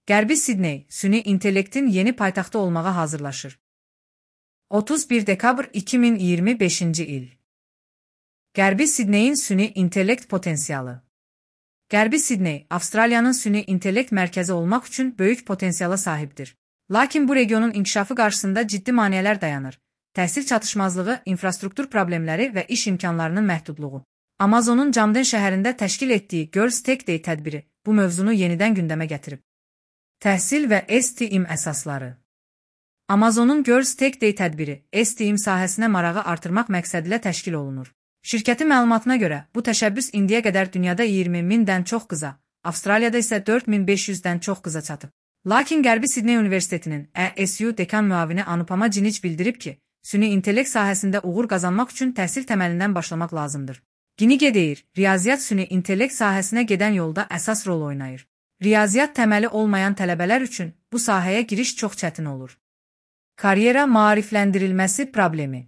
Qərbi Sidney, süni intellektin yeni paytaxtı olmağa hazırlaşır. 31 dekabr 2025-ci il. Qərbi Sidneyin süni intellekt potensialı. Qərbi Sidney, Avstraliyanın süni intellekt mərkəzi olmaq üçün böyük potensiala sahibdir. Lakin bu regionun inkişafı qarşısında ciddi maneələr dayanır. Təhsil çatışmazlığı, infrastruktur problemləri və iş imkanlarının məhdudluğu. Amazonun Camden şəhərində təşkil etdiyi Girls Tech Day tədbiri bu mövzunu yenidən gündəmə gətirib. Təhsil və STEM əsasları. Amazonun Girls Tech Day tədbiri STEM sahəsinə marağı artırmaq məqsədilə təşkil olunur. Şirkətin məlumatına görə, bu təşəbbüs indiyə qədər dünyada 20.000-dən çox qıza, Avstraliyada isə 4.500-dən çox qıza çatıb. Lakin Qərbi Sidney Universitetinin ASU dekan müavini Anupama Cinic bildirib ki, süni intellekt sahəsində uğur qazanmaq üçün təhsil təməlindən başlamaq lazımdır. Ginige deyir, riyaziyyat süni intellekt sahəsinə gedən yolda əsas rol oynayır. Riyaziyyat təməli olmayan tələbələr üçün bu sahəyə giriş çox çətin olur. Karyera maarifləndirilməsi problemi.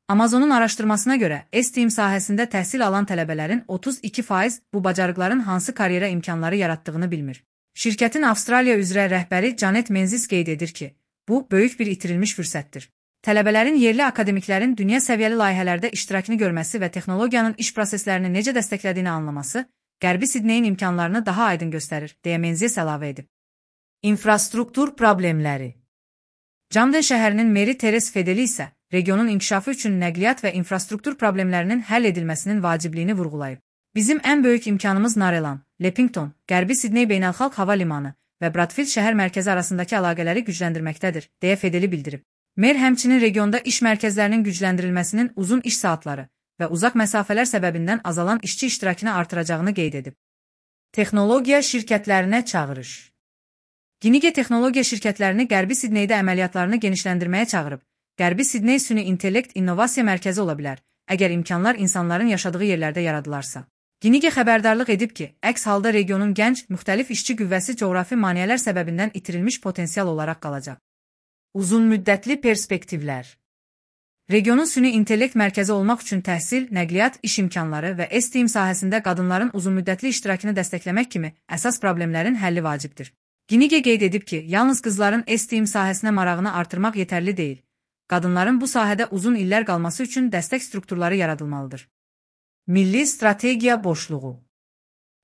Amazonun araşdırmasına görə, STEM sahəsində təhsil alan tələbələrin 32% bu bacarıqların hansı karyera imkanları yaratdığını bilmir. Şirkətin Avstraliya üzrə rəhbəri Janet Menzies qeyd edir ki, bu böyük bir itirilmiş fürsətdir. Tələbələrin yerli akademiklərin dünya səviyyəli layihələrdə iştirakını görməsi və texnologiyanın iş proseslərini necə dəstəklədiyini anlaması, Qərbi Sidneyin imkanlarını daha aydın göstərir, deyə Menzies əlavə edib. İnfrastruktur problemləri. Camden şəhərinin meri Teres Fedeli isə, regionun inkişafı üçün nəqliyyat və infrastruktur problemlərinin həll edilməsinin vacibliyini vurğulayıb. Bizim ən böyük imkanımız Narelan, Lepington, Qərbi Sidney Beynəlxalq Hava Limanı və Bradfield şəhər mərkəzi arasındakı əlaqələri gücləndirməkdədir, deyə Fedeli bildirib. Mer həmçinin regionda iş mərkəzlərinin gücləndirilməsinin uzun iş saatları və uzaq məsafələr səbəbindən azalan işçi iştirakını artıracağını qeyd edib. Texnologiya şirkətlərinə çağırış. Ginige texnologiya şirkətlərini Qərbi Sidneydə əməliyyatlarını genişləndirməyə çağırıb. Qərbi Sidney süni intellekt innovasiya mərkəzi ola bilər, əgər imkanlar insanların yaşadığı yerlərdə yaradılarsa. Ginige xəbərdarlıq edib ki, əks halda regionun gənc, müxtəlif işçi qüvvəsi coğrafi maneələr səbəbindən itirilmiş potensial olaraq qalacaq. Uzun müddətli perspektivlər. Regionun süni intellekt mərkəzi olmaq üçün təhsil, nəqliyyat, iş imkanları və STEM sahəsində qadınların uzunmüddətli iştirakını dəstəkləmək kimi əsas problemlərin həlli vacibdir. Ginige qeyd edib ki, yalnız qızların STEM sahəsinə marağını artırmaq yetərli deyil. Qadınların bu sahədə uzun illər qalması üçün dəstək strukturları yaradılmalıdır. Milli strategiya boşluğu.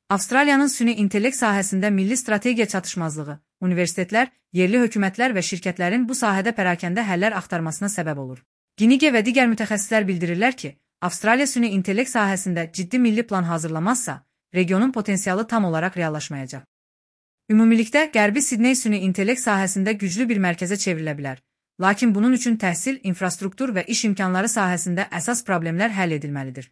Avstraliyanın süni intellekt sahəsində milli strategiya çatışmazlığı, universitetlər, yerli hökumətlər və şirkətlərin bu sahədə pərakəndə həllər axtarmasına səbəb olur. Ginige və digər mütəxəssislər bildirirlər ki, Avstraliya süni intellekt sahəsində ciddi milli plan hazırlamazsa, regionun potensialı tam olaraq reallaşmayacaq. Ümumilikdə, Qərbi Sidney süni intellekt sahəsində güclü bir mərkəzə çevrilə bilər. Lakin bunun üçün təhsil, infrastruktur və iş imkanları sahəsində əsas problemlər həll edilməlidir.